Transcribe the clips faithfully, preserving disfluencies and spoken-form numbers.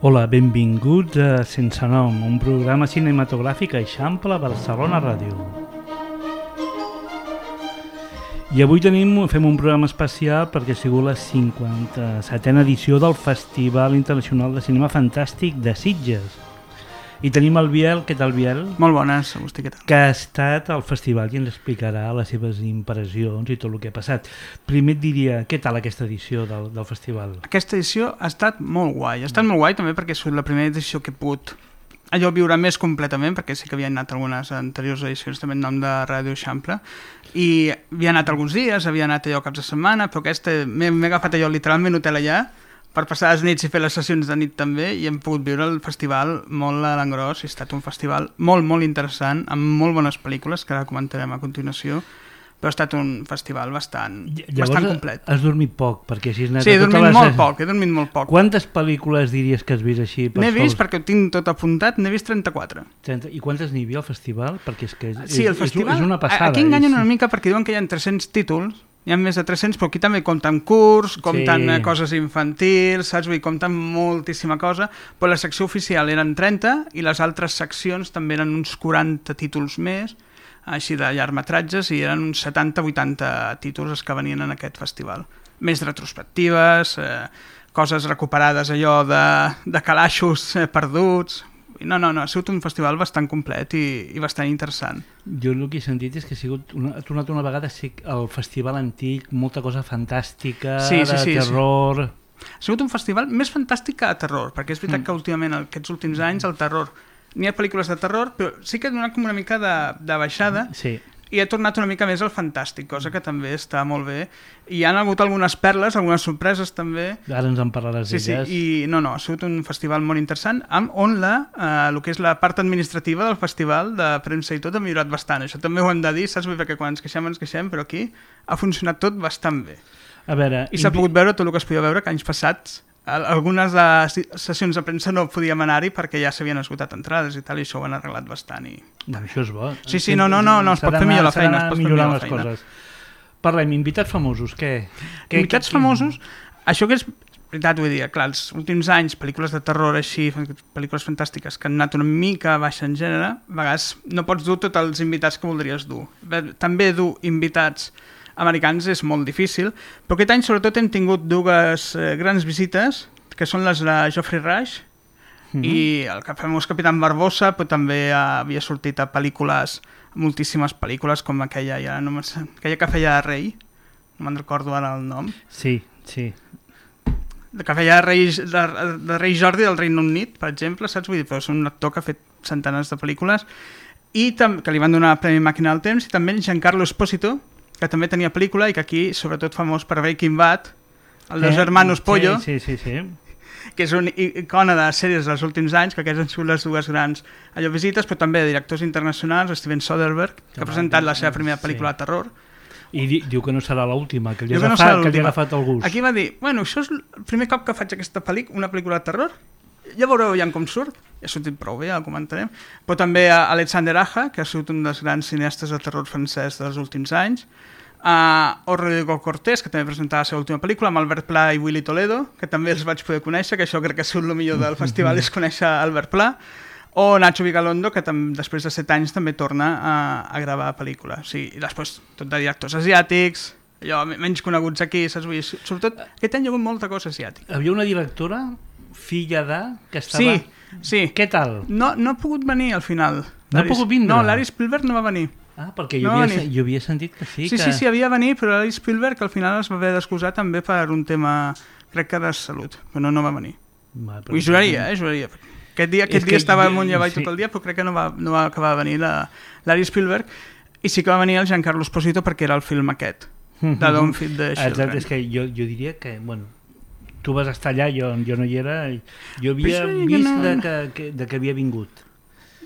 Hola, benvinguts a Sense Nom, un programa cinematogràfic a Eixample, Barcelona Ràdio. I avui tenim, fem un programa especial perquè ha sigut la cinquanta-setena edició del Festival Internacional de Cinema Fantàstic de Sitges. I tenim el Biel, què tal Biel? Molt bones, Agustí, què tal? Que ha estat al festival i ens explicarà les seves impressions i tot el que ha passat. Primer et diria, què tal aquesta edició del, del festival? Aquesta edició ha estat molt guai, ha estat molt guai també perquè és la primera edició que he pogut allò viure més completament, perquè sí que havia anat algunes anteriors edicions també en nom de Ràdio Eixample, i havia anat alguns dies, havia anat allò caps de setmana, però aquesta m'he agafat allò literalment hotel allà, per passar les nits i fer les sessions de nit també, i hem pogut viure el festival molt a l'engròs. Ha estat un festival molt, molt interessant, amb molt bones pel·lícules, que ara comentarem a continuació, però ha estat un festival bastant, Llavors, bastant complet. Has dormit poc, perquè així has anat sí, he a totes dormit les... molt poc, he dormit molt poc. Quantes pel·lícules diries que has vist així? N'he vist, perquè ho tinc tot apuntat, n'he vist trenta-quatre. trenta I quantes n'hi havia al festival? Perquè és que és, sí, el és, festival, és una passada. Aquí enganyen és... una mica perquè diuen que hi ha tres-cents títols, hi ha més de tres-cents, però aquí també compten curs, compten sí. coses infantils, saps? Vull dir, compten moltíssima cosa, però la secció oficial eren trenta i les altres seccions també eren uns quaranta títols més, així de llargmetratges, i eren uns setanta vuitanta títols els que venien en aquest festival. Més retrospectives, eh, coses recuperades allò de, de calaixos eh, perduts... No, no, no, ha sigut un festival bastant complet i, i bastant interessant. Jo el que he sentit és que ha sigut una, ha tornat una vegada a ser el festival antic, molta cosa fantàstica, sí, sí, de sí, terror... Sí. Ha sigut un festival més fantàstic que de terror, perquè és veritat mm. que últimament, aquests últims anys, el terror... N'hi ha pel·lícules de terror, però sí que ha donat com una mica de, de baixada, sí. i ha tornat una mica més al fantàstic, cosa que també està molt bé. I hi ha hagut algunes perles, algunes sorpreses també. Ara ens en parlaràs sí, d'elles. Sí, i no, no, ha sigut un festival molt interessant, amb on la, eh, el que és la part administrativa del festival, de premsa i tot, ha millorat bastant. Això també ho hem de dir, saps? Perquè quan ens queixem, ens queixem, però aquí ha funcionat tot bastant bé. A veure, I s'ha pogut veure tot el que es podia veure, que anys passats algunes de sessions de premsa no podíem anar-hi perquè ja s'havien esgotat entrades i tal, i això ho han arreglat bastant. I... No, això és bo. Sí, sí, no, no, no, no es pot fer millor la feina. Es pot fer millor la feina. Coses. Parlem, invitats famosos, què? Invitats famosos, això que és veritat, vull dir, clar, els últims anys, pel·lícules de terror així, pel·lícules fantàstiques que han anat una mica baixa en gènere, a vegades no pots dur tots els invitats que voldries dur. També dur invitats americans és molt difícil, però aquest any sobretot hem tingut dues eh, grans visites, que són les de Geoffrey Rush mm-hmm. i el famós Capitán Barbossa, però també havia sortit a pel·lícules, moltíssimes pel·lícules, com aquella, ja no aquella que feia Rei, no me'n recordo ara el nom. Sí, sí. Que feia Rei, de, de Rei Jordi del Regne Unit, per exemple, saps? Vull dir, però és un actor que ha fet centenars de pel·lícules, i tam- que li van donar el Premi Màquina del Temps, i també Giancarlo Esposito, que també tenia pel·lícula i que aquí, sobretot famós per Breaking Bad, el dels eh, Hermanos Pollo, sí, sí, sí, sí. que és una icona de sèries dels últims anys, que aquestes han sigut les dues grans allò visites, però també de directors internacionals, Steven Soderbergh, que ha presentat la seva primera pel·lícula sí. de terror. I di diu que no serà l'última, que, li ha, no agafat, que li ha agafat el gust. Aquí va dir, bueno, això és el primer cop que faig aquesta pel·lícula, una pel·lícula de terror, ja veureu ja com surt, ja ha sortit prou bé, ja el comentarem, però també a Alexander Aja, que ha sigut un dels grans cineastes de terror francès dels últims anys, Uh, o Rodrigo Cortés, que també presentava la seva última pel·lícula, amb Albert Pla i Willy Toledo, que també els vaig poder conèixer, que això crec que ha sigut el millor del festival, és conèixer Albert Pla, o Nacho Vigalondo, que tam després de set anys també torna a, a gravar pel·lícula. Sí, i després tot de directors asiàtics, allò menys coneguts aquí, saps? Vull dir, sobretot aquest any hi ha hagut molta cosa asiàtica. Havia una directora, filla de, que estava... Sí, sí. Què tal? No, no ha pogut venir al final. No ha pogut vindre? No, Larry Spielberg no va venir. Ah, perquè jo, no havia, jo havia sentit que sí. Sí, que... sí, sí, havia venir, però Larry Spielberg al final es va haver d'excusar també per un tema, crec que de salut, però no, no va venir. Va, però... Ho juraria, eh, juraria. Aquest dia, aquest dia estava amunt i avall sí. tot el dia, però crec que no va, no va acabar de venir la, Larry Spielberg, i sí que va venir el Giancarlo Esposito perquè era el film aquest, de Don't Feed the Children. Exacte, és que jo, jo diria que, bueno, tu vas estar allà, jo, jo no hi era, jo havia vist no... de, que, que, de que havia vingut.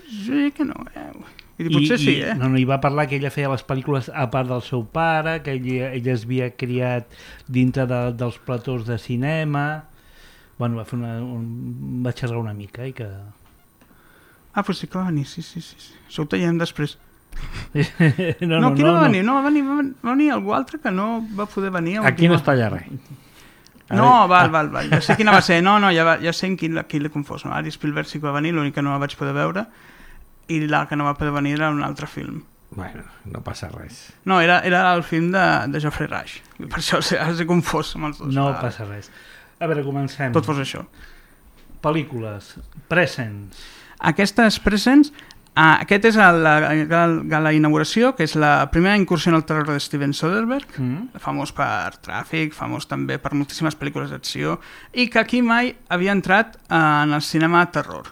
Sí que no, eh... I potser I, sí, eh? No, no, hi va parlar que ella feia les pel·lícules a part del seu pare, que ella, ella es havia criat dintre de, dels platós de cinema. Bueno, va fer una, un, va xerrar una mica i que... Ah, però sí que va venir, sí, sí, sí. Això ho tallem després. no, no, no, qui no, no va no. venir? No, va venir, va venir algú altre que no va poder venir. Aquí no es talla res. No, val, val, val. Ja sé quina va ser. No, no, ja, va, ja sé en qui, qui l'he confós. No? Ari Spielberg sí que va venir, l'únic que no la vaig poder veure, i la que no va poder venir era un altre film. Bueno, no passa res. No, era, era el film de, de Geoffrey Rush. Per això els he confós amb els dos. No vale. passa res. A veure, comencem. Tot fos això. Pel·lícules. Presents. Aquestes Presents, ah, aquest és el, la, la, la inauguració, que és la primera incursió en el terror de Steven Soderbergh, mm. famós per Tràfic, famós també per moltíssimes pel·lícules d'acció, i que aquí mai havia entrat en el cinema terror.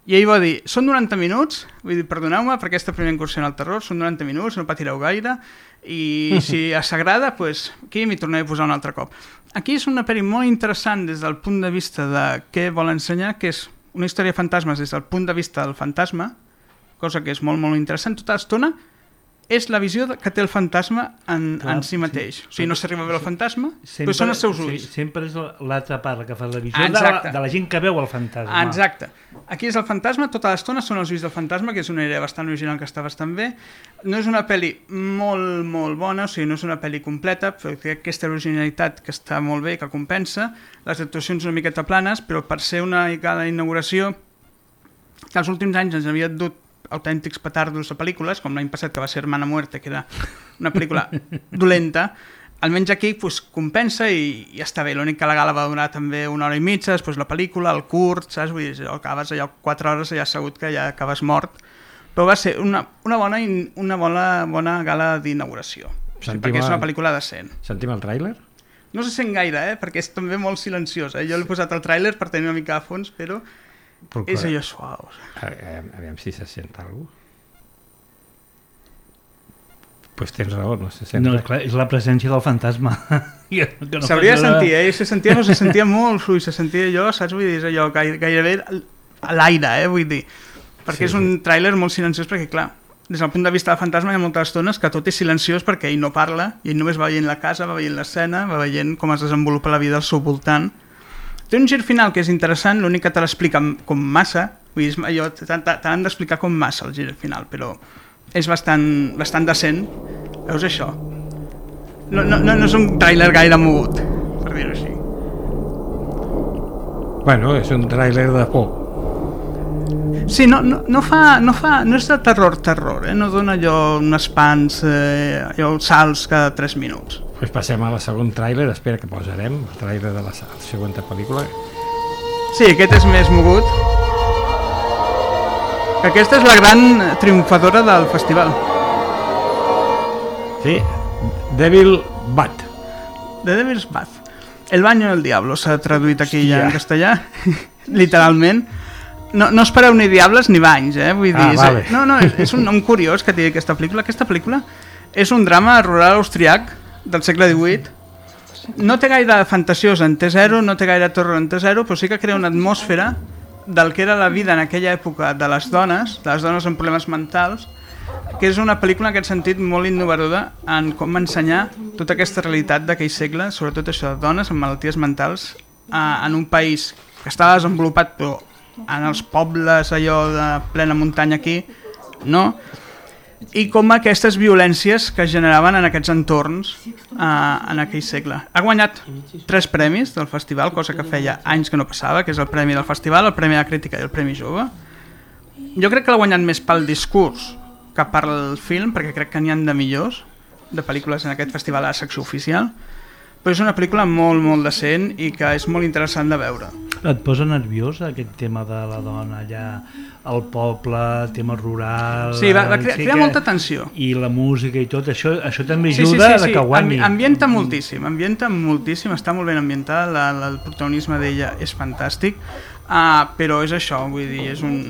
I ell va dir, són noranta minuts, vull dir, perdoneu-me per aquesta primera incursió en el terror, són noranta minuts, no patireu gaire, i si s'agrada, pues, aquí m'hi tornaré a posar un altre cop. Aquí és una pel·li molt interessant des del punt de vista de què vol ensenyar, que és una història de fantasmes des del punt de vista del fantasma, cosa que és molt, molt interessant. Tota l'estona és la visió que té el fantasma en, Clar, en si mateix. Sí. O sigui, no s'arriba a veure el fantasma, sempre, però són els seus ulls. Sí, sempre és l'altra part que fa la visió de la, de la gent que veu el fantasma. Exacte. Aquí és el fantasma, tota l'estona són els ulls del fantasma, que és una idea bastant original que està bastant bé. No és una pel·li molt, molt bona, o sigui, no és una pel·li completa, però té aquesta originalitat que està molt bé, que compensa. Les actuacions una miqueta planes, però per ser una gala d'inauguració que els últims anys ens havia dut autèntics petardos a pel·lícules, com l'any passat que va ser Hermana Muerte, que era una pel·lícula dolenta, almenys aquí pues, compensa i, i està bé. L'únic que la gala va durar també una hora i mitja, després la pel·lícula, el curt, saps? Vull dir, acabes allò quatre hores i ja assegut que ja acabes mort. Però va ser una, una, bona, una bona, bona gala d'inauguració, o sigui, perquè és una pel·lícula decent. Sentim el tràiler? No se sent gaire, eh? Perquè és també molt silenciós. Eh? Jo l'he posat al tràiler per tenir una mica de fons, però Procura. És allò suau. Aviam si se sent alguna cosa. Pues tens raó, no se sent. No, clar, és la presència del fantasma. No s'hauria de sentir, eh? Se sentia, no, se sentia molt fluid, se sentia allò, saps? Vull dir, és allò gairebé a l'aire, eh? Vull dir. Perquè sí, és un sí. tràiler molt silenciós, perquè clar, des del punt de vista del fantasma hi ha moltes estones que tot és silenciós perquè ell no parla, i ell només va veient la casa, va veient l'escena, va veient com es desenvolupa la vida al seu voltant. Té un gir final que és interessant, l'únic que te l'explica com massa, vull dir, allò, t'han d'explicar com massa el gir final, però és bastant, bastant decent. Veus això? No, no, no és un tràiler gaire mogut, per dir-ho així. Bueno, és un tràiler de por. Sí, no, no, no, fa, no, fa, no és de terror-terror, eh? No dona allò uns espants, eh, allò salts cada tres minuts. Pues passem a la segon tràiler, espera que posarem el tràiler de la següent pel·lícula. Sí, aquest és més mogut. Aquesta és la gran triomfadora del festival. Sí, Devil Bath. The Devil's Bath. El baño del diablo s'ha traduït aquí ja en castellà, literalment. No, no espereu ni diables ni banys, eh? Vull dir, ah, vale. és, no, no, és un nom curiós que té aquesta pel·lícula. Aquesta pel·lícula és un drama rural austriac del segle divuit. No té gaire fantasiós en T zero, no té gaire terror en T zero, però sí que crea una atmosfera del que era la vida en aquella època de les dones, de les dones amb problemes mentals, que és una pel·lícula en aquest sentit molt innovadora en com ensenyar tota aquesta realitat d'aquell segle, sobretot això de dones amb malalties mentals en un país que estava desenvolupat, però en els pobles allò de plena muntanya aquí, no? I com aquestes violències que es generaven en aquests entorns eh, en aquell segle. Ha guanyat tres premis del festival, cosa que feia anys que no passava, que és el premi del festival, el premi de la crítica i el premi jove. Jo crec que l'ha guanyat més pel discurs que pel film, perquè crec que n'hi ha de millors de pel·lícules en aquest festival a la secció oficial, però és una pel·lícula molt, molt decent i que és molt interessant de veure. Et posa nerviós aquest tema de la dona allà al poble, tema rural... Sí, va, va crear, sí, crear molta tensió. I la música i tot, això, això també ajuda sí, sí, sí, sí. a que guanyi. Ambienta moltíssim, ambienta moltíssim, està molt ben ambientada, la, la, el protagonisme d'ella és fantàstic, uh, però és això, vull dir, és un,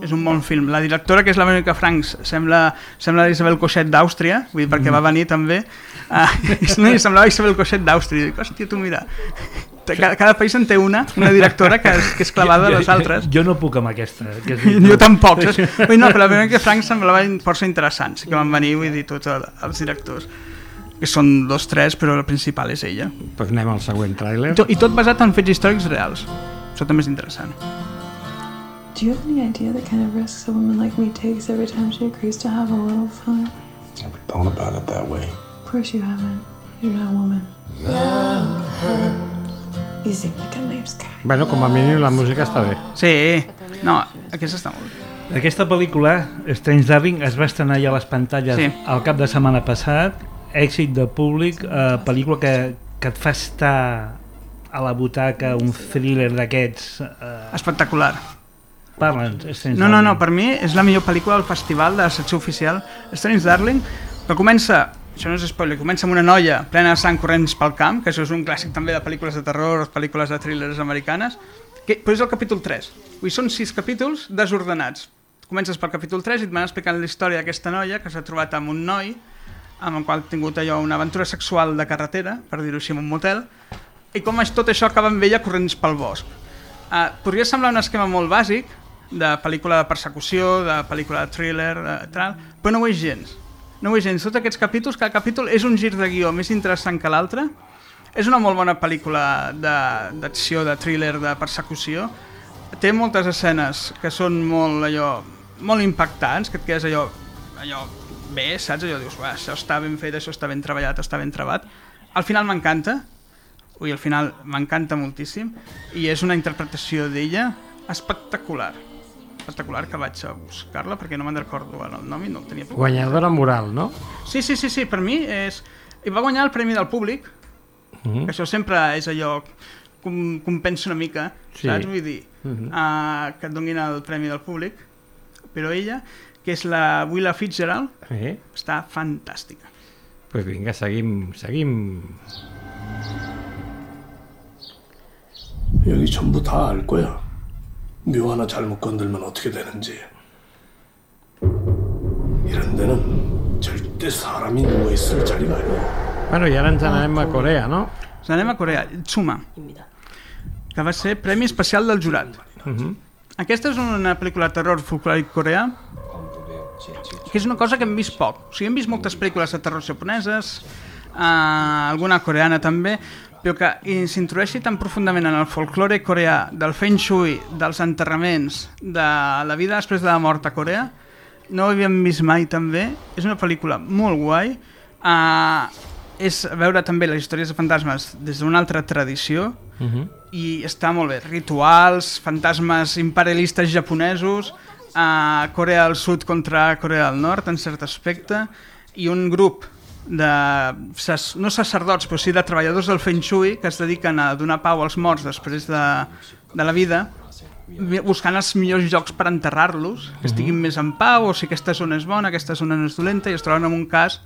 és un bon film. La directora, que és la Verónica Franks, sembla, sembla Isabel Cochet d'Àustria, vull dir, perquè mm. va venir també, uh, no, semblava Isabel Cochet d'Àustria, i dic, hòstia, tu mira... Cada, cada país en té una, una directora que és, que és clavada a les altres. Jo no puc amb aquesta. Que és jo tampoc. Saps? Vull, no, però la Verónica Franks semblava força interessant, sí que van venir, vull dir, tots els directors, que són dos, tres, però la principal és ella. Pues anem al següent tràiler. I tot basat en fets històrics reals. Això també és interessant. Do you have any idea the kind of risks a woman like me takes every time she agrees to have a little fun? Never thought about it that way. Of course you haven't. You're not a woman. Love her. You sing like a nice guy. Bueno, com a mínim la música està bé. Sí, no, aquesta està molt bé. Aquesta pel·lícula, Strange Darling, es va estrenar ja a les pantalles Sí. al cap de setmana passat, èxit de públic, eh, pel·lícula que, que et fa estar a la butaca, un thriller d'aquests... Eh, Espectacular. Parla'ns, Strange No, no, Darling. no, per mi és la millor pel·lícula del festival de la secció oficial Strange Darling, que comença, això no és spoiler, comença amb una noia plena de sang corrents pel camp, que això és un clàssic també de pel·lícules de terror, pel·lícules de thrillers americanes, que, però és el capítol tres. Vull dir, són sis capítols desordenats. Comences pel capítol tres i et van explicant la història d'aquesta noia que s'ha trobat amb un noi amb el qual ha tingut allò una aventura sexual de carretera, per dir-ho així, en un motel, i com és tot això acaba amb ella corrents pel bosc. Uh, podria semblar un esquema molt bàsic, de pel·lícula de persecució, de pel·lícula de thriller, de tal, però no ho és gens. No ho és gens. Tots aquests capítols, cada capítol és un gir de guió més interessant que l'altre. És una molt bona pel·lícula d'acció, de, de thriller, de persecució. Té moltes escenes que són molt, allò, molt impactants, que et quedes allò, allò bé, saps? Allò dius, això està ben fet, això està ben treballat, està ben trebat. Al final m'encanta, ui, al final m'encanta moltíssim, i és una interpretació d'ella espectacular. espectacular, que vaig a buscar-la perquè no me'n recordo el nom i no el tenia. Guanyadora moral, no? Sí, sí, sí, sí, per mi és... I va guanyar el Premi del Públic, mm-hmm. que això sempre és allò que compensa una mica, sí. Saps? Vull dir, mm-hmm. uh, que et donin el Premi del Públic, però ella, que és la Willa Fitzgerald, eh? Està fantàstica. Doncs pues vinga, seguim, seguim. 여기 전부 다 알 거야. 묘 하나 잘못 건들면 어떻게 되는지. 이런 데는 절대 사람이 누워있을 자리가 아니야. Bueno, i ara ens anem a Corea, no? Ens anem a Corea, Tsuma, que va ser Premi Especial del Jurat. Uh-huh. Aquesta és una pel·lícula de terror folclòric coreà, que és una cosa que hem vist poc. O sigui, hem vist moltes pel·lícules de terror japoneses, eh, alguna coreana també, però que s'introdueixi tan profundament en el folklore coreà, del feng shui, dels enterraments, de la vida després de la mort a Corea, no ho havíem vist mai també. És una pel·lícula molt guai, uh, és veure també les històries de fantasmes des d'una altra tradició, uh-huh. i està molt bé. Rituals, fantasmes imperialistes japonesos, uh, Corea del Sud contra Corea del Nord en cert aspecte, i un grup de, no sacerdots, però sí de treballadors del Feng Shui que es dediquen a donar pau als morts després de, de la vida, buscant els millors llocs per enterrar-los, que estiguin uh-huh. més en pau, o si aquesta zona és bona, aquesta zona no és dolenta, i es troben en un cas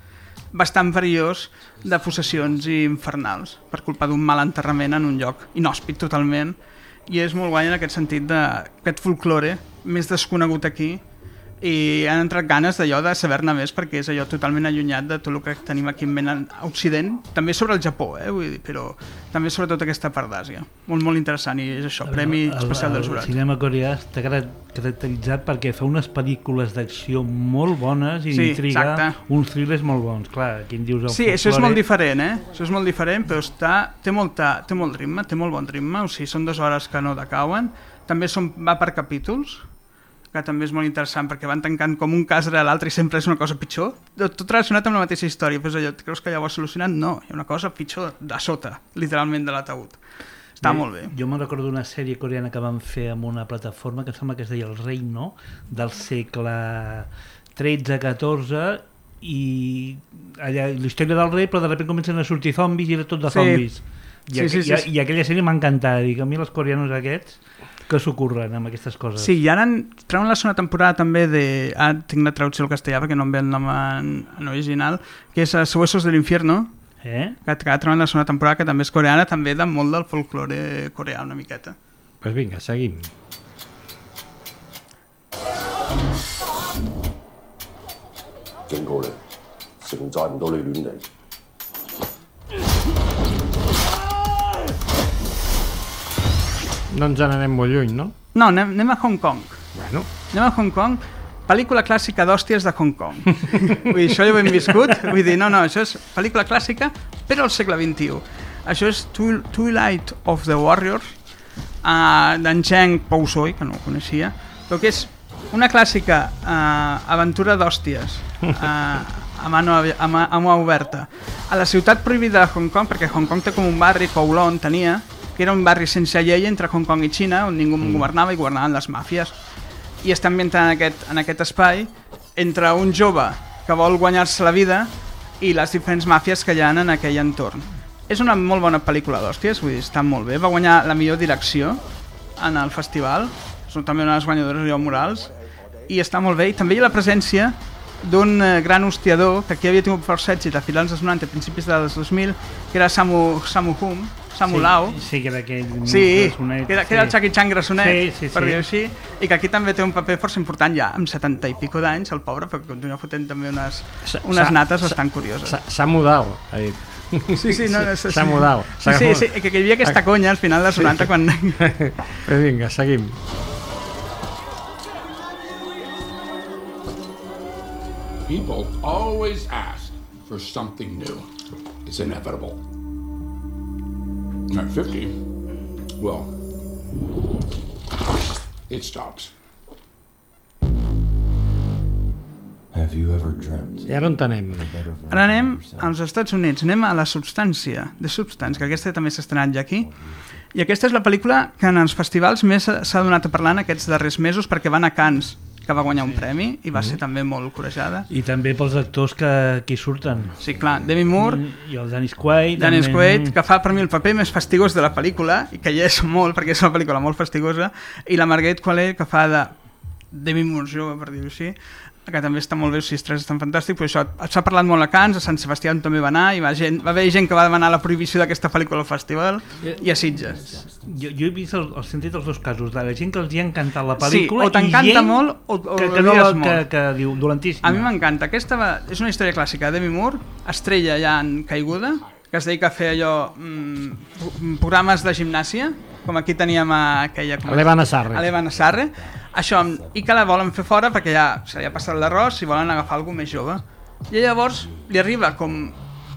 bastant perillós de possessions infernals per culpa d'un mal enterrament en un lloc inhòspit totalment, i és molt guai en aquest sentit d'aquest folklore més desconegut aquí, i han entrat ganes d'allò de saber-ne més, perquè és allò totalment allunyat de tot el que tenim aquí en ment a Occident, també sobre el Japó, eh, vull dir, però també sobre tota aquesta part d'Àsia. Molt, molt interessant, i és això, Premi el, Especial del Jurat. El cinema coreà està caracteritzat perquè fa unes pel·lícules d'acció molt bones i sí, d'intriga, exacte. Uns thrillers molt bons. Clar, aquí em dius el sí, folklore... això és molt diferent, eh? Això és molt diferent, però està, té, molta, té molt ritme, té molt bon ritme, o sigui, són dues hores que no decauen. També són, va per capítols, que també és molt interessant, perquè van tancant com un cas rere l'altre i sempre és una cosa pitjor. Tot relacionat amb la mateixa història, però allò, creus que ja ho has solucionat? No, hi ha una cosa pitjor de sota, literalment, de l'ataúd. Està bé, molt bé. Jo me'n recordo d'una sèrie coreana que van fer amb una plataforma que sembla que es deia El Reino, del segle tretze catorze, i allà, la història del rei, però de sobte comencen a sortir zombis i era tot de zombis. Sí. I, sí, sí, sí, sí. I, I aquella sèrie m'ha encantat, i a mi els coreanos aquests que s'ocorren amb aquestes coses. Sí, i ara treuen la segona temporada també de... Ah, tinc la traducció al castellà perquè no em ve el nom en, en original, que és Huesos del Infierno, eh? que, que treuen la segona temporada, que també és coreana, també de molt del folklore coreà una miqueta. Doncs pues vinga, seguim. No ens n'anem molt lluny, no? No, anem, anem a Hong Kong. Bueno. Anem a Hong Kong, pel·lícula clàssica d'hòsties de Hong Kong. Vull dir, això ja ho hem viscut. Vull dir, no, no, això és pel·lícula clàssica, però al segle vint-i-u. Això és Twilight of the Warriors, uh, d'en Cheng Pou-soi, que no ho coneixia, però que és una clàssica uh, aventura d'hòsties, uh, a mano, a, mà, a mà oberta, a la ciutat prohibida de Hong Kong, perquè Hong Kong té com un barri, Kowloon tenia, que era un barri sense llei entre Hong Kong i Xina, on ningú mm. governava i governaven les màfies. I està ambientat en aquest, en aquest espai entre un jove que vol guanyar-se la vida i les diferents màfies que hi ha en aquell entorn. És una molt bona pel·lícula d'hòsties, vull dir, està molt bé. Va guanyar la millor direcció en el festival, són també una de les guanyadores allò morals, i està molt bé. I també hi ha la presència d'un eh, gran hostiador que aquí havia tingut força èxit a finals dels noranta, a principis dels dos mil, que era Samu, Samu Hum, Samu sí, Lau. Sí, que era aquell... Sí, grassonet, que era, que era el Jackie Chan grassonet, sí, sí, per sí. dir-ho així, i que aquí també té un paper força important ja, amb setanta i pico d'anys, el pobre, perquè continua fotent també unes, unes nates bastant curioses. S'ha mudat, ha dit. Sí, sí, no, no, sí, s'ha mudat. Sí, sí, sí, que hi havia aquesta conya al final dels noranta quan... Però vinga, seguim. People always ask for something new. It's inevitable. At fifty, well, it stops. Have you ever dreamt? I ara on anem? Ara anem als Estats Units, anem a La Substància, The Substance, que aquesta també s'ha estrenat ja aquí. I aquesta és la pel·lícula que en els festivals més s'ha donat a parlar en aquests darrers mesos, perquè van a Cannes, que va guanyar un premi i va ser també molt corejada. I també pels actors que aquí surten. Sí, clar, Demi Moore i el Dennis Quaid. Dennis també... Quaid, que fa per mi el paper més fastigós de la pel·lícula, i que hi és molt, perquè és una pel·lícula molt fastigosa, i la Margaret Qualley, que fa de Demi Moore jove, per dir-ho així, que també està molt bé, els sis tres estan fantàstics, però això s'ha parlat molt a Cannes, a Sant Sebastià també va anar, i va, gent, va haver gent que va demanar la prohibició d'aquesta pel·lícula al festival, i a Sitges. Jo, jo he vist el, el sentit dels dos casos, de la gent que els hi ha encantat la pel·lícula, sí, o t'encanta molt o, o que, que, no, molt. que, que diu dolentíssima. A mi m'encanta, aquesta va, és una història clàssica de Demi Moore, estrella ja en caiguda, que es dedica a fer allò, mmm, programes de gimnàsia, com aquí teníem a aquella... L'Eva Nassarre. A l'Eva Nassarre, això, i que la volen fer fora perquè ja se li ha passat l'arròs i volen agafar algú més jove. I llavors li arriba com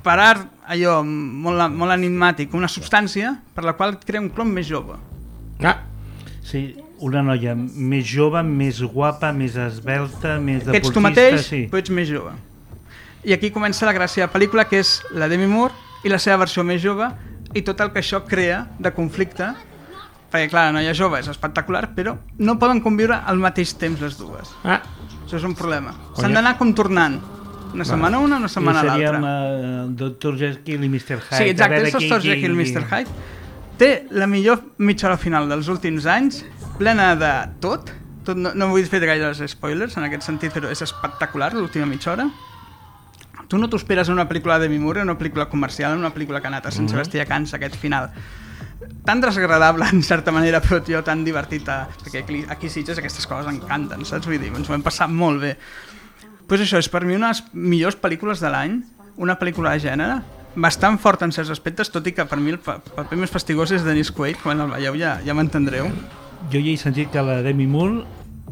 parar allò molt, molt enigmàtic, una substància per la qual crea un clon més jove. Ah. Sí, una noia més jove, més guapa, més esbelta, més deportista... Que ets tu mateix, sí. però ets més jove. I aquí comença la gràcia de la pel·lícula, que és la Demi Moore i la seva versió més jove, i tot el que això crea de conflicte, perquè clar, la noia jove és espectacular, però no poden conviure al mateix temps les dues. Ah. Això és un problema. S'han d'anar com tornant. Una setmana una, una setmana l'altra. I seríem uh, doctor Jekyll i mister Hyde. Sí, exacte, és doctor Jekyll i mister Hyde. Té la millor mitja hora final dels últims anys, plena de tot. tot no, no vull fer gaires spoilers en aquest sentit, però és espectacular l'última mitja hora. Tu no t'ho esperes en una pel·lícula de Demi Moore, en una pel·lícula comercial, en una pel·lícula que ha anat a Sant Sebastià a Cannes, aquest final tan desagradable en certa manera, però tio, tan divertit, perquè aquí, aquí Sitges aquestes coses encanten, saps? Vull dir, ens ho hem passat molt bé. Pues això, és per mi una de les millors pel·lícules de l'any, una pel·lícula de gènere, bastant forta en certs aspectes, tot i que per mi el paper més fastigós és Dennis Quaid, quan el veieu ja, ja m'entendreu. Jo ja he sentit que la Demi Moore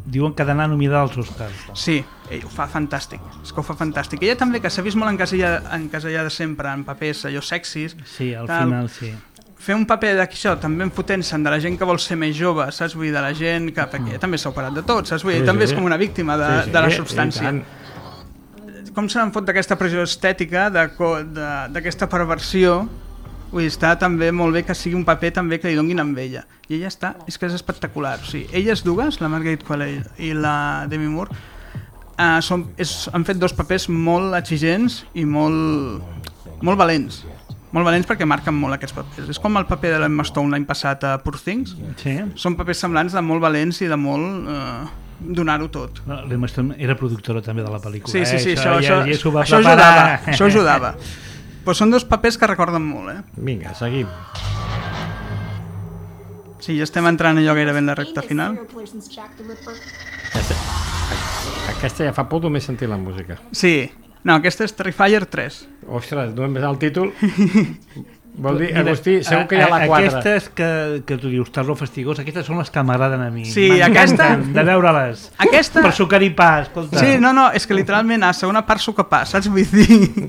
diuen que ha d'anar nominada als Oscars. Sí, ell ho fa fantàstic, és que ho fa fantàstic. Ella també, que s'ha vist molt encasellada, encasellada sempre en papers allò sexis. Sí, al tal. final sí. Fer un paper d'això, també enfotent-se'n de la gent que vol ser més jove, saps? Vull dir, de la gent que... Perquè ella també s'ha operat de tot, saps? Vull dir, sí, també sí. És com una víctima de, sí, sí, de la substància. Com se n'han fot d'aquesta pressió estètica, d'aquesta perversió, vull dir, està també molt bé que sigui un paper també que li donguin amb ella. I ella està, és que és espectacular. O sigui, elles dues, la Margaret Qualley i la Demi Moore, eh, són, és, han fet dos papers molt exigents i molt, molt valents. Molt valents perquè marquen molt aquests papers. És com el paper de l'Emma Stone l'any passat a Poor Things. Sí. Són papers semblants de molt valents i de molt eh, donar-ho tot. No, l'Emma Stone era productora també de la pel·lícula. Sí, sí, sí, eh? això, això, això, ja, això ajudava. Això ajudava. Però són dos papers que recorden molt, eh? Vinga, seguim. Sí, ja estem entrant allò gairebé en la recta final. Aquesta, aquesta ja fa por només sentir la música. Sí. No, aquesta és Terrifier tres. Ostres, només el títol... Vol dir, Agustí, segur que hi ha la quatre. Aquestes que, que tu dius, terror fastigós, aquestes són les que m'agraden a mi. Sí, aquesta... de veure-les. Aquesta... Per sucar i pa, escolta. Sí, no, no, és que literalment a segona part sucar pa, saps? Vull dir...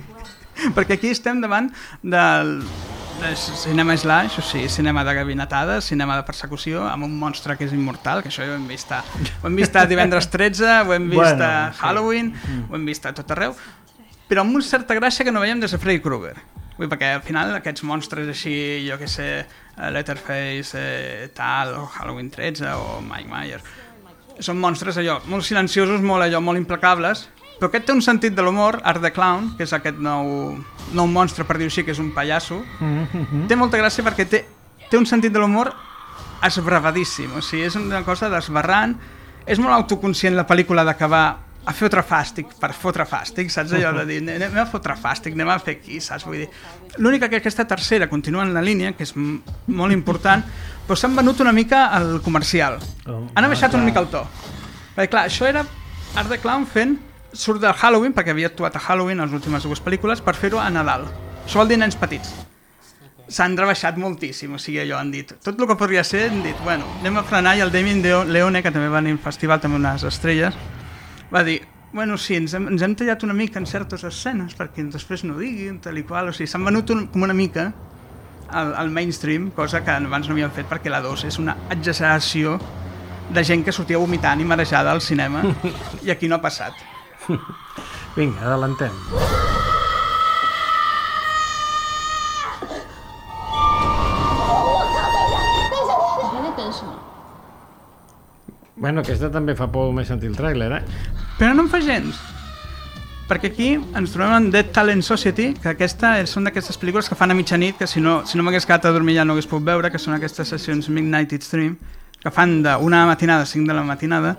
Perquè aquí estem davant del... de cinema slash, o sigui, cinema de gabinetada, cinema de persecució, amb un monstre que és immortal, que això ja ho hem vist a, ho hem vist a divendres tretze, ho hem vist bueno, a Halloween, sí. Ho hem vist a tot arreu, però amb una certa gràcia que no veiem des de Freddy Krueger. Vull dir, perquè al final aquests monstres així, jo què sé, Letterface, eh, tal, o Halloween tretze, o Mike Myers, són monstres allò, molt silenciosos, molt allò, molt implacables, però aquest té un sentit de l'humor, Art the Clown, que és aquest nou, nou monstre, per dir-ho així, que és un pallasso, mm-hmm. té molta gràcia perquè té, té un sentit de l'humor esbravadíssim, o sigui, és una cosa desbarrant, és molt autoconscient la pel·lícula d'acabar a fotre fàstic, per fotre fàstic, saps allò de dir, anem a fotre fàstic, anem a fer aquí, saps? Vull dir, l'única que aquesta tercera continua en la línia, que és m- molt important, però s'han venut una mica al comercial. Oh, Han abaixat ah, una mica el to. Perquè clar, això era Art the Clown fent, surt de Halloween, perquè havia actuat a Halloween a les últimes dues pel·lícules, per fer-ho a Nadal. Això vol dir nens petits. S'han rebaixat moltíssim, o sigui, allò han dit. Tot el que podria ser, han dit, bueno, anem a frenar, i el Damien Leone, que també va venir al festival, també unes estrelles, va dir, bueno, sí, ens hem, ens hem tallat una mica en certes escenes perquè després no diguin, tal i qual, o sigui, s'han venut un, com una mica al, al mainstream, cosa que abans no havien fet perquè la dos és una exageració de gent que sortia vomitant i marejada al cinema i aquí no ha passat. Vinga, adelantem. Bueno, aquesta també fa por més sentir el tràiler, eh? Però no en fa gens, perquè aquí ens trobem en Dead Talent Society, que aquesta és, són d'aquestes pel·lícules que fan a mitjanit, que si no, si no m'hagués quedat a dormir ja no hagués pogut veure, que són aquestes sessions Midnight Stream, que fan d'una matinada a cinc de la matinada,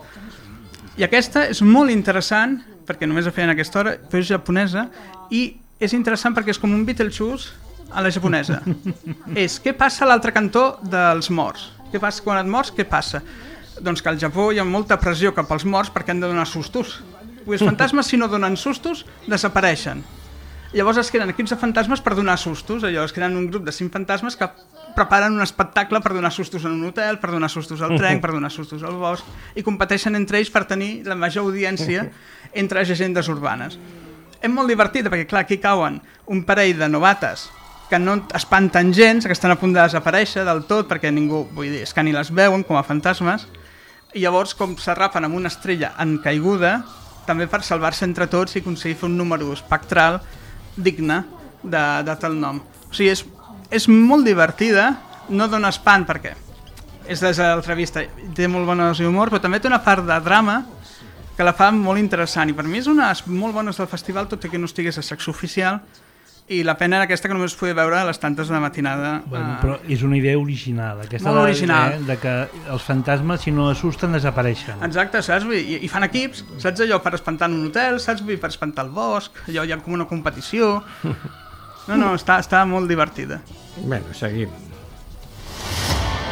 i aquesta és molt interessant, perquè només la feien a aquesta hora, però és japonesa, i és interessant perquè és com un Beetlejuice a la japonesa. És què passa a l'altre cantó dels morts? Què passa quan et mors? Què passa? Doncs que al Japó hi ha molta pressió cap als morts perquè han de donar sustos. Els fantasmes, si no donen sustos, desapareixen. Llavors es creen equips de fantasmes per donar sustos. Allò, es creen un grup de cinc fantasmes que preparen un espectacle per donar sustos en un hotel, per donar sustos al tren, per donar sustos al bosc, i competeixen entre ells per tenir la major audiència entre llegendes urbanes. És molt divertit perquè, clar, aquí cauen un parell de novates que no espanten gens, que estan a punt de desaparèixer del tot perquè ningú, vull dir, és que ni les veuen com a fantasmes, i llavors com s'arrapen amb una estrella en caiguda, també per salvar-se entre tots i aconseguir fer un número espectral digne de, de tal nom. O sigui, és, és molt divertida, no dona espant perquè és des de l'altra vista, té molt bona dosi d'humor, però també té una part de drama que la fa molt interessant, i per mi és una molt bones del festival, tot i que no estigués a secció oficial, i la pena era aquesta que només es podia veure a les tantes de la matinada. Bueno, eh... però és una idea original, aquesta molt de, original. Eh, de que els fantasmes, si no assusten, desapareixen. Exacte, saps? I, i fan equips, saps allò, per espantar en un hotel, saps? Per espantar el bosc, allò hi ha com una competició. No, no, està, està molt divertida. Bueno, seguim.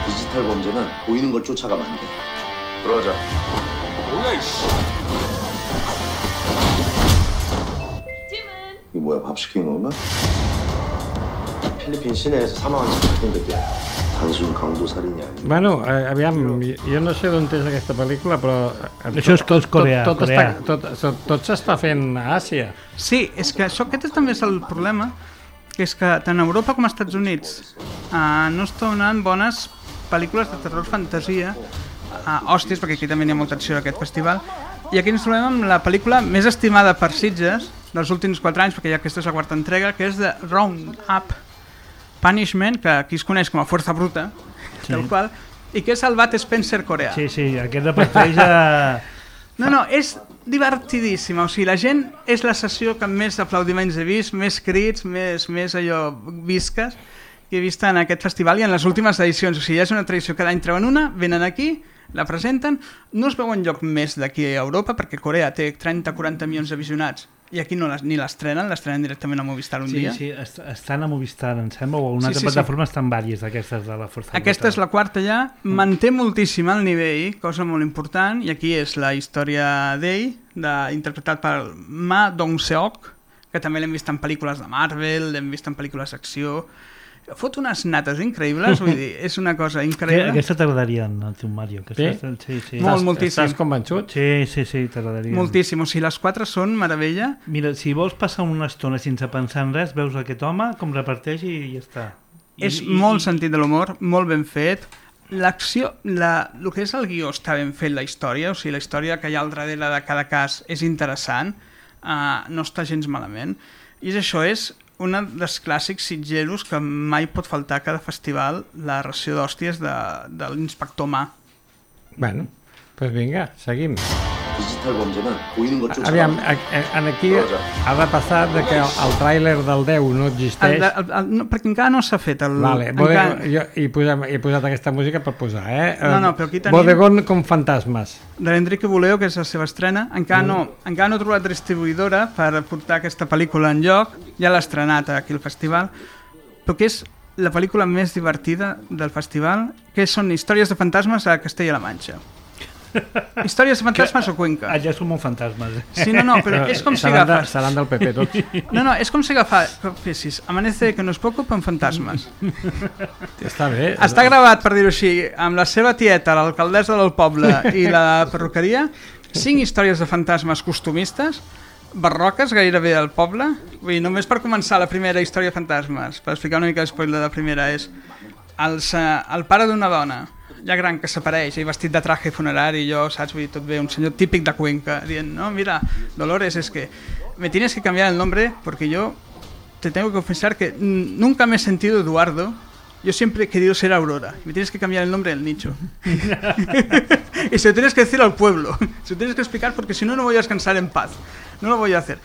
디지털 범죄는 보이는 걸 쫓아가면 안 돼. 들어가자. 뭐야 이씨. 이게 뭐야, 밥 시킨 건가? 필리핀 시내에서 사망한 지 발견됐대. 단순 강도 살인이 아니야. Bueno, eh, aviam, jo no sé d'on és aquesta pel·lícula, però... Això és que és Corea, tot, tot, Corea. està, tot, tot, tot s'està fent a Àsia. Sí, és que això aquest també és el problema, que és que tant a Europa com als Estats Units eh, no es donen bones pel·lícules de terror fantasia, eh, hòsties, perquè aquí també hi ha molta acció d'aquest festival, i aquí ens trobem amb la pel·lícula més estimada per Sitges dels últims quatre anys, perquè ja aquesta és la quarta entrega, que és de Round-Up Punishment, que aquí es coneix com a Força Bruta, sí. Tal qual, i que és el Bud Spencer coreà. Sí, sí, aquest reparteix a... No, no, és divertidíssima, o sigui, la gent és la sessió que més aplaudiments he vist, més crits, més, més allò visques que he vist en aquest festival i en les últimes edicions, o sigui, ja és una tradició, cada any treuen una, venen aquí, la presenten, no es veu enlloc més d'aquí a Europa perquè Corea té trenta a quaranta milions de visionats i aquí no les, ni l'estrenen, l'estrenen directament a Movistar un sí, dia. Sí, sí, estan a Movistar, em sembla, o a una sí, altra sí, plataforma sí. Estan vàries d'aquestes de la Força Aquesta Bruta. és la quarta ja, manté moltíssim el nivell, cosa molt important, i aquí és la història d'ell, de, interpretat per Ma Dong-seok, que també l'hem vist en pel·lícules de Marvel, l'hem vist en pel·lícules d'acció, fot unes nates increïbles, vull dir, és una cosa increïble. Aquesta t'agradaria, el teu Mario. Aquesta, Sí? sí, sí. Molt, moltíssim. Estàs convençut? Sí, sí, sí, t'agradaria. Moltíssim, o sigui, les quatre són meravella. Mira, si vols passar una estona sense pensar en res, veus aquest home com reparteix i ja està. I, És i, molt i... sentit de l'humor, molt ben fet. L'acció, la, el que és el guió està ben fet, la història, o sigui, la història que hi ha al darrere de cada cas és interessant, uh, no està gens malament. I és això, és un dels clàssics sitgeros que mai pot faltar a cada festival, la ració d'hòsties de, de l'inspector Ma. Bueno, doncs vinga, seguim. 디지털 범죄는 보이는 것 쫓아. Aviam, aquí ha de passar de que el tràiler del deu no existeix. El, el, el, no, perquè encara no s'ha fet. El, vale, encara... Bodegón, jo he posat, he posat aquesta música per posar, eh? No, no, però aquí tenim... Bodegón con fantasmes. De l'Enrique Buleo, que és la seva estrena. Encara, mm. no, encara no he trobat distribuïdora per portar aquesta pel·lícula en lloc. Ja l'ha estrenat aquí al festival. Però que és la pel·lícula més divertida del festival, que són històries de fantasmes a Castella-La Manxa. Històries de fantasmes que, o Cuenca? Allà són molt fantasmes. Sí, no, no, però és com si agafes... Seran del P P tots. No, no, és com si agafessis Amanece que no es preocupa en fantasmes. Està bé. Està gravat, per dir-ho així, amb la seva tieta, l'alcaldessa del poble i la perruqueria, cinc històries de fantasmes costumistes, barroques gairebé al poble. Vull dir, només per començar la primera història de fantasmes, per explicar una mica l'espoiler de la primera, és els, uh, el pare d'una dona ja gran que s'apareix, i vestit de traje funerari, i jo, saps, vull dir, tot bé, un senyor típic de Cuenca, dient, no, mira, Dolores, es que me tienes que cambiar el nombre porque yo te tengo que confesar que nunca me he sentido Eduardo, yo siempre he querido ser Aurora, me tienes que cambiar el nombre del nicho. Y se lo tienes que decir al pueblo, se lo tienes que explicar porque si no, no voy a descansar en paz, no lo voy a hacer.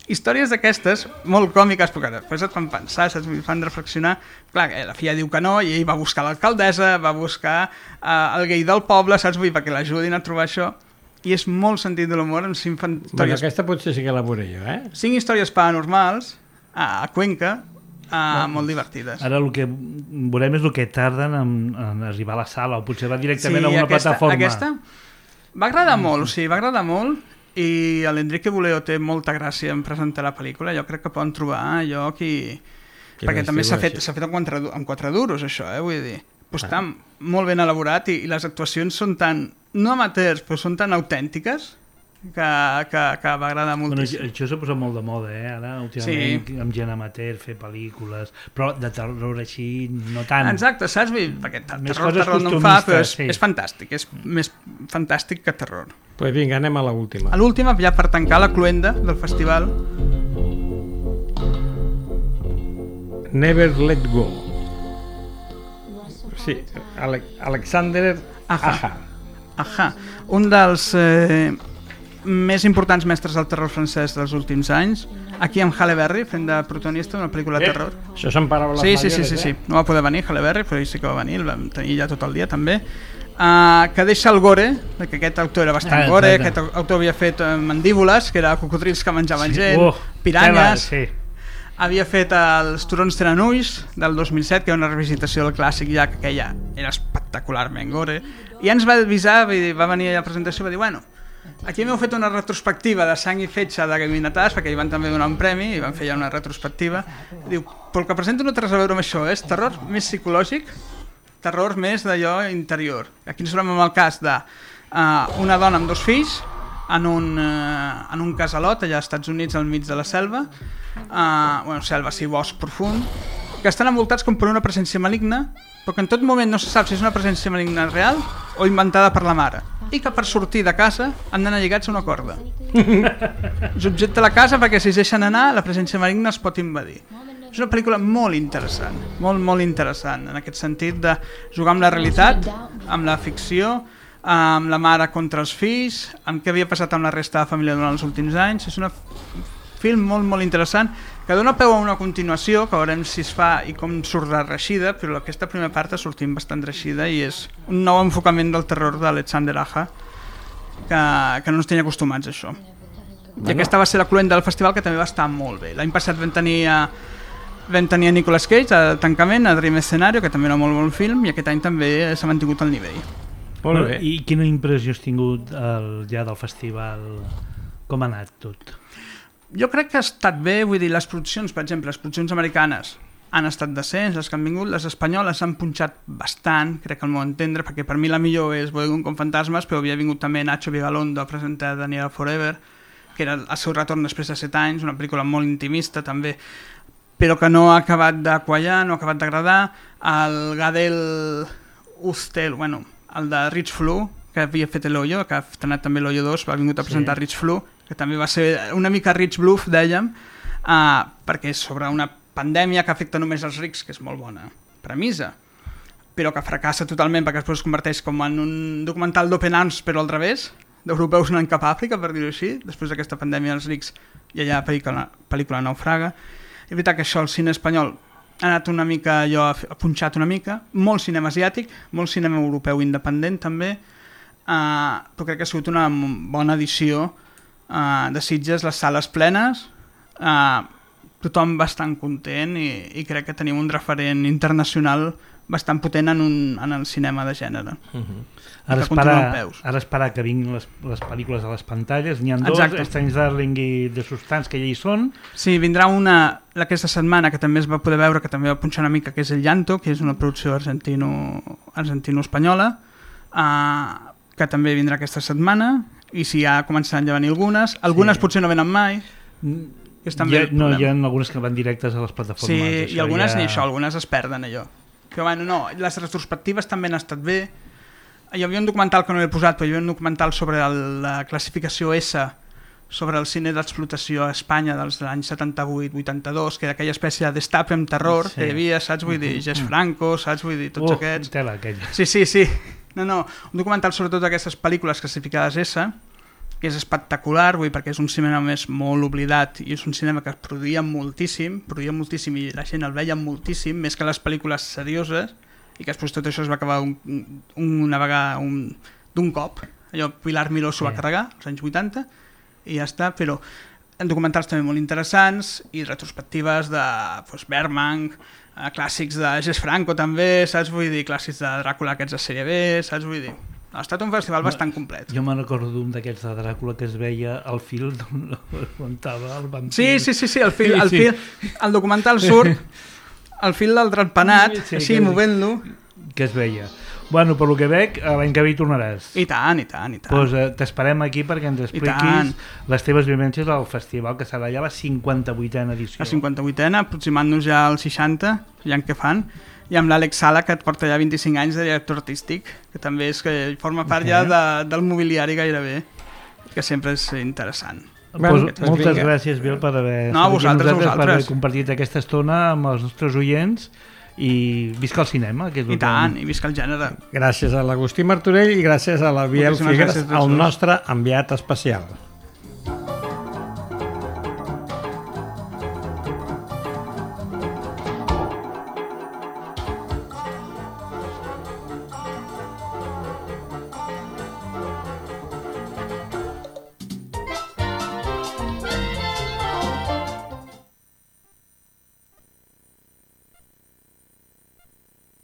Històries d'aquestes, molt còmiques, perquè després et fan pensar, saps? Et fan reflexionar. Clar, la filla diu que no, i ell va buscar l'alcaldessa, va buscar uh, el gay del poble, saps? Vull dir, perquè l'ajudin a trobar això. I és molt sentit de l'humor amb cinc històries... Bueno, aquesta potser sí que la veuré jo, eh? Cinc històries paranormals a, a Cuenca, uh, no. molt divertides. Ara el que veurem és el que tarden en, en arribar a la sala, o potser va directament sí, a una aquesta, plataforma. Aquesta va agradar molt, o sigui, va agradar molt, i l'Enrique Buleo té molta gràcia en presentar la pel·lícula. Jo crec que poden trobar lloc i... Que perquè també s'ha fet, fet en, quatre, en quatre duros, això, eh? Vull dir, pues ah. està molt ben elaborat i, i les actuacions són tan, no amateurs, però són tan autèntiques que, que, que va agradar moltíssim. Bueno, això s'ha posat molt de moda, eh? Ara, últimament, sí. amb gent amateur, fer pel·lícules, però de terror així, no tant. Exacte, saps? Perquè terror, terror no en fa, però és, sí. és fantàstic, és més fantàstic que terror. Pues vinga, anem a l'última. A l'última, ja per tancar la cluenda del festival. Never Let Go. Sí, Ale Alexander Aja. Aja. Aja. Un dels eh, més importants mestres del terror francès dels últims anys. Aquí amb Halle Berry, fent de protagonista d'una pel·lícula de terror. Eh, això són paraules sí, mayores, sí, sí, sí, eh? sí. No va poder venir Halle Berry, però ell sí que va venir, el vam tenir ja tot el dia també. Uh, que deixa el gore, que aquest autor era bastant ah, gore, aquest autor havia fet uh, Mandíbules, que era cocodrils que menjaven sí. gent, oh, piranyes, sí. havia fet els Turons tenen ulls del dos mil set, que era una revisitació del clàssic ja, que aquella era espectacularment gore, i ens va avisar, va venir a la presentació i va dir, bueno, aquí m'heu fet una retrospectiva de sang i fetge de Gaminatàs, perquè hi van també donar un premi i van fer ja una retrospectiva. Diu, però el que presento no té res a veure amb això, és terror més psicològic, terror més d'allò interior. Aquí ens trobem amb el cas de uh, una dona amb dos fills en un, uh, en un casalot allà als Estats Units al mig de la selva, uh, bueno, selva, sí, bosc profund, que estan envoltats com per una presència maligna, però que en tot moment no se sap si és una presència maligna real o inventada per la mare, i que per sortir de casa han d'anar lligats a una corda. Subjecta la casa perquè si es deixen anar la presència maligna es pot invadir. És una pel·lícula molt interessant, molt, molt interessant, en aquest sentit de jugar amb la realitat, amb la ficció, amb la mare contra els fills, amb què havia passat amb la resta de la família durant els últims anys. És un film molt, molt interessant, que dona peu a una continuació, que veurem si es fa i com surt reixida, però aquesta primera part ha sortit bastant reixida i és un nou enfocament del terror d'Alexander Aja, que, que no ens tenia acostumats a això. Bueno. I aquesta va ser la cluenda del festival, que també va estar molt bé. L'any passat vam tenir a Vam tenir a Nicolas Cage al tancament, a Dream Scenario, que també era molt bon film, i aquest any també s'ha mantingut al nivell. Molt bé. I quina impressió has tingut el, ja del festival? Com ha anat tot? Jo crec que ha estat bé, vull dir, les produccions, per exemple, les produccions americanes han estat decents, les que han vingut, les espanyoles s'han punxat bastant, crec que al meu entendre, perquè per mi la millor és Bodegón con fantasmes, però havia vingut també Nacho Vigalondo a presentar Daniela Forever, que era el seu retorn després de set anys, una pel·lícula molt intimista també, però que no ha acabat de quallar, no ha acabat d'agradar. El Gadel Ustel, bueno, el de Rich Flu, que havia fet l'Hoyo, que ha estrenat també l'Hoyo dos, va vingut a presentar sí. Rich Flu, que també va ser una mica Rich Bluff, dèiem, uh, perquè és sobre una pandèmia que afecta només els rics, que és molt bona premissa, però que fracassa totalment perquè després es converteix com en un documental d'open arms, però al revés, d'europeus anant cap a Àfrica, per dir-ho així, després d'aquesta pandèmia els rics i allà la pel·lícula, pel·lícula naufraga. És veritat que això el cine espanyol ha anat una mica, allò, ha punxat una mica, molt cinema asiàtic, molt cinema europeu independent també, uh, però crec que ha sigut una bona edició uh, de Sitges, les sales plenes, uh, tothom bastant content i, i crec que tenim un referent internacional bastant potent en, un, en el cinema de gènere. Uh-huh. Ara esperar, ara esperar que vinguin les, les pel·lícules a les pantalles. N'hi ha dos, Strange Darling i The Substance, que ja hi són. Sí, vindrà una aquesta setmana que també es va poder veure, que també va punxar una mica, que és El Llanto, que és una producció argentino, argentino-espanyola, uh, que també vindrà aquesta setmana, i si ja començaran a venir algunes. Algunes sí. Potser no venen mai. És també ja, no, hi ha algunes que van directes a les plataformes. Sí, i algunes ja... ni això, algunes es perden allò. Però bueno, no, les retrospectives també han estat bé. Hi havia un documental que no he posat, però hi havia un documental sobre el, la classificació S, sobre el cine d'explotació a Espanya dels anys setanta-vuit vuitanta-dos, que era aquella espècie de destape amb terror sí. que hi havia, saps? Vull dir, Jess Franco, saps? Vull dir, tots uh, aquests... Tela, aquella. Sí, sí, sí. No, no, un documental sobre totes aquestes pel·lícules classificades S, que és espectacular, vull dir, perquè és un cinema més molt oblidat i és un cinema que es produïa moltíssim, produïa moltíssim i la gent el veia moltíssim, més que les pel·lícules serioses, i que després tot això es va acabar un, un, una vegada un, d'un cop. Allò Pilar Miró s'ho va carregar, als anys vuitanta, i ja està, però documentals també molt interessants i retrospectives de pues, Bergman, eh, clàssics de Jess Franco també, saps? Vull dir, clàssics de Dràcula aquests de sèrie B, saps? Vull dir, ha estat un festival bastant complet. Jo me'n recordo d'un d'aquests de Dràcula que es veia al fil d'on aguantava el vampir. Sí, sí, sí, sí, el, fil, el, fil, el documental surt al fil del trempenat, sí, així, movent-lo. Que es veia. Bueno, per lo que veig, l'any que ve hi tornaràs. I tant, i tant, i tant. Pues, eh, t'esperem aquí perquè ens expliquis les teves vivències al festival, que serà ja la cinquanta-vuitena edició. La cinquanta-vuitena, aproximant-nos ja als seixanta, ja en què fan, i amb l'Àlex Sala, que et porta ja vint-i-cinc anys de director artístic, que també és que forma part ja de, del mobiliari gairebé, que sempre és interessant. Bueno, pues, moltes vinga. Gràcies, Biel, per haver, no, vosaltres, vosaltres. per haver compartit aquesta estona amb els nostres oients i visca el cinema. Que és I tant, i visca el gènere. Gràcies a l'Agustí Martorell i gràcies a la Biel Figueres, el nostre enviat especial.